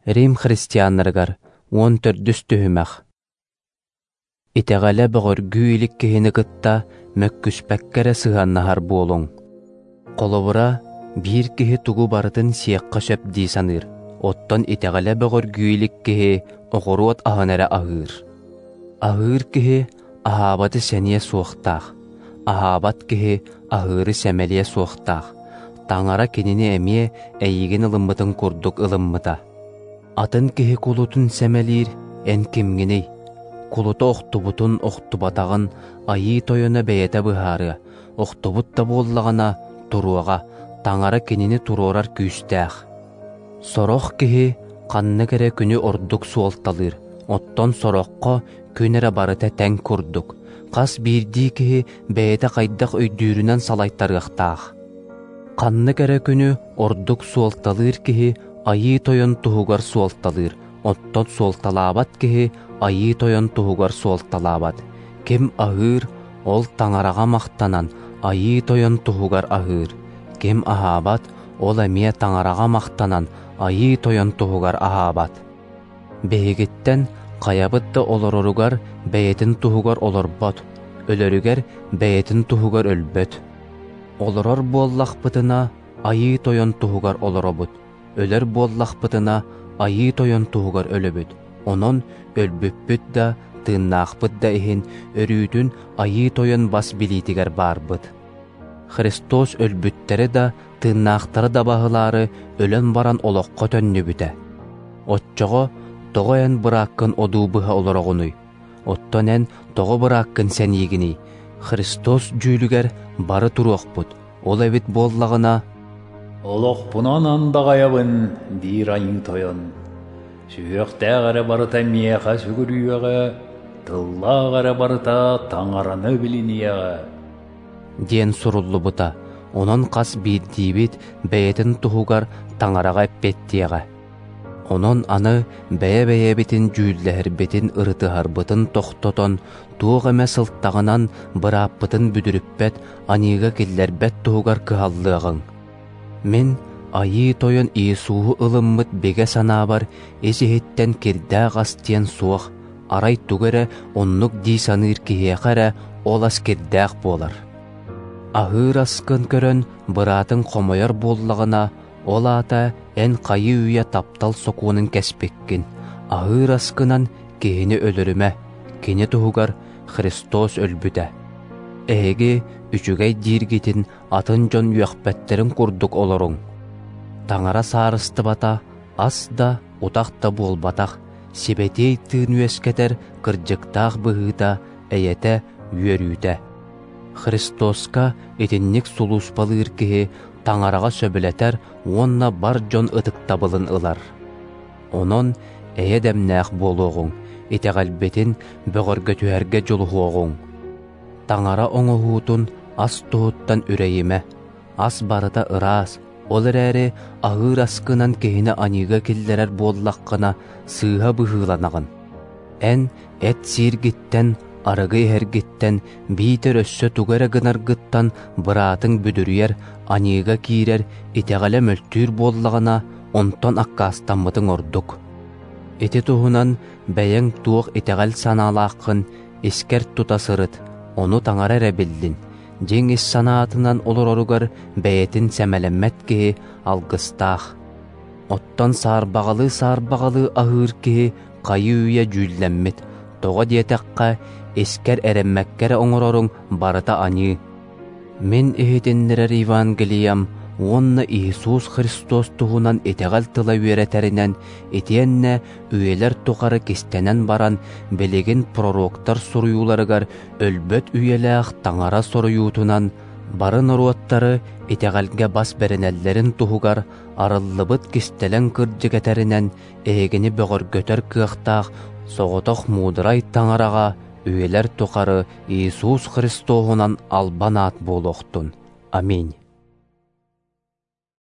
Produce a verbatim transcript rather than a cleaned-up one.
Рим христианнарыгар уон төрдүс түһүмэх. Итэҕэлэ бөҕөргүү илик киһини кытта мөккүспэккэ эрэ сыһыаннаһар буолуҥ. Холобура, биир киһи тугу барытын сиэххэ сөп дии саныыр, оттон итэҕэлэ бөҕөргүү илик киһи оҕуруот аһын эрэ аһыыр. Аһыыр киһи аһаабаты сэниэ суохтаах, аһаабат киһи аһыыры сэмэлиэ суохтаах. Таҥара кинини эмиэ эйигин ылыммытын курдук ылыммыта. Атын киһи кулутун сэмэлиир эн кимҥиний? Кулута охтубутун охтубатаҕын Айыы Тойоно бэйэтэ быһаарыа, охтубут да буоллаҕына туруоҕа, Таҥара кинини туруорар күүстээх. Сорох киһи ханнык эрэ күнү ордук суолталыыр, оттон сороххо күн эрэ барыта тэҥ курдук. Хас биирдии киһи бэйэтэ хайдах өйдүүрүнэн салайтарыахтаах. Ханнык эрэ күнү ордук суолталыыр киһи Айыы Тойон туһугар суолталыыр, оттон суолталаабат киһи Айыы Тойон туһугар суолталаабат. Ким аһыыр, ол Таҥараҕа махтанан Айыы Тойон туһугар аһыыр. Ким аһаабат, ол эмиэ Таҥараҕа махтанан Айыы Тойон туһугар аһаабат. Биһигиттэн хайабыт да олороругар бэйэтин туһугар олорбот, өлөрүгэр бэйэтин туһугар өлбөт. Олорор буоллахпытына Айыы Тойон туһугар олоробут, өлөр буоллахпытына Айыы Тойон туһугар өлөбүт. Онон өлбүппүт да, тыыннаахпыт да иһин өрүүтүн Айыы Тойон бас билиитигэр баарбыт. Христос өлбүттэри да, тыыннаахтары да баһылаары өлөн баран олоххо төннүбүтэ. Оччоҕо тоҕо эн бырааккын одуу быһа олороҕунуй? Оттон эн тоҕо бырааккын сэниигиний? Христос дьүүлүгэр бары туруохпут, ол эбит буоллаҕына «Олохпунан андаҕайабын, диир Айыы Тойон, сүһүөхтээх эрэ барыта миэхэ сүгүрүйүөҕэ, тыллаах эрэ барыта Таҥараны билиниэҕэ» диэн суруллубута. Онон хас биирдиибит бэйэтин туһугар Таҥараҕа эппиэттиэҕэ. Онон аны бэйэ-бэйэбитин дьүүллэһэрбитин, ырытыһарбытын тохтотон, туох эмэ сылтаҕынан бырааппытын бүдүрүппэт, аньыыга киллэрбэт туһугар кыһаллыаҕыҥ. Мин Айыы Тойон Иисуһу ылыммыт бигэ санаабар ис-иһиттэн кирдээх ас диэн суох, арай тугу эрэ оннук дии саныыр киһиэхэ эрэ ол ас кирдээх буолар. Аһыыр аскын көрөн быраатыҥ хомойор буоллаҕына, ол аата эн хайыы-үйэ таптал сокуонун кэспиккин. Аһыыр аскынан киһини өлөрүмэ, кини туһугар Христос өлбүтэ. Эһиги үчүгэй дииргитин атын дьон үөхпэттэрин курдук олоруҥ. Таҥара саарыстыбата ас да, утах да буолбатах, сибэтиэй тыын үөскэтэр кырдьыктаах быһыыта, эйэтэ, үөрүүтэ. Христоска итинник сулууспалыыр киһи Таҥараҕа сөбүлэтэр уонна бар дьон ытыктабылын ылар. Онон эйэ дэмнээх буолуоҕуҥ, итэҕэлбитин бөҕөргөтүһэргэ дьулуһуоҕуҥ. Таҥара оҥоһуутун ас туһуттан үрэйимэ, ас барыта ыраас, ол эрээри аһыыр аскынан киһини аньыыга киллэрэр буоллаххына сыыһа быһыыланаҕын. Эн эт сииргиттэн, арыгы иһэргиттэн, биитэр өссө тугу эрэ гынаргыттан быраатыҥ бүдүрүйэр, аньыыга киирэр, итэҕэлэ мөлтүүр буоллаҕына, онтон аккаастаммытыҥ ордук. Ити туһунан бэйэҥ туох итэҕэл санаалааххын искэр тута сырыт, ону Таҥара эрэ биллин. Дьиҥ ис санаатынан олороругар бэйэтин сэмэлэммэт киһи алгыстаах. Оттон саарбаҕалыы-саарбаҕалыы аһыыр киһи хайыы-үйэ дьүүллэммит, тоҕо диэтэххэ, искэр эрэммэккэ эрэ оҥороруҥ барыта аньыы. Мин иһитиннэрэр Евангелиям уонна Иисус Христос туһунан итэҕэл тыла үөрэтэринэн, итиэннэ үйэлэр тухары кистэнэн баран, билигин пророктар суруйууларыгар өлбөт үйэлээх Таҥара соруйуутунан бары норуоттары итэҕэлгэ бас бэринэллэрин туһугар арыллыбыт кистэлэҥ кырдьык этэринэн эһигини бөҕөргөтөр кыахтаах соҕотох муударай Таҥараҕа үйэлэр тухары Иисус Христоһунан албан аат буолуохтун. Аминь.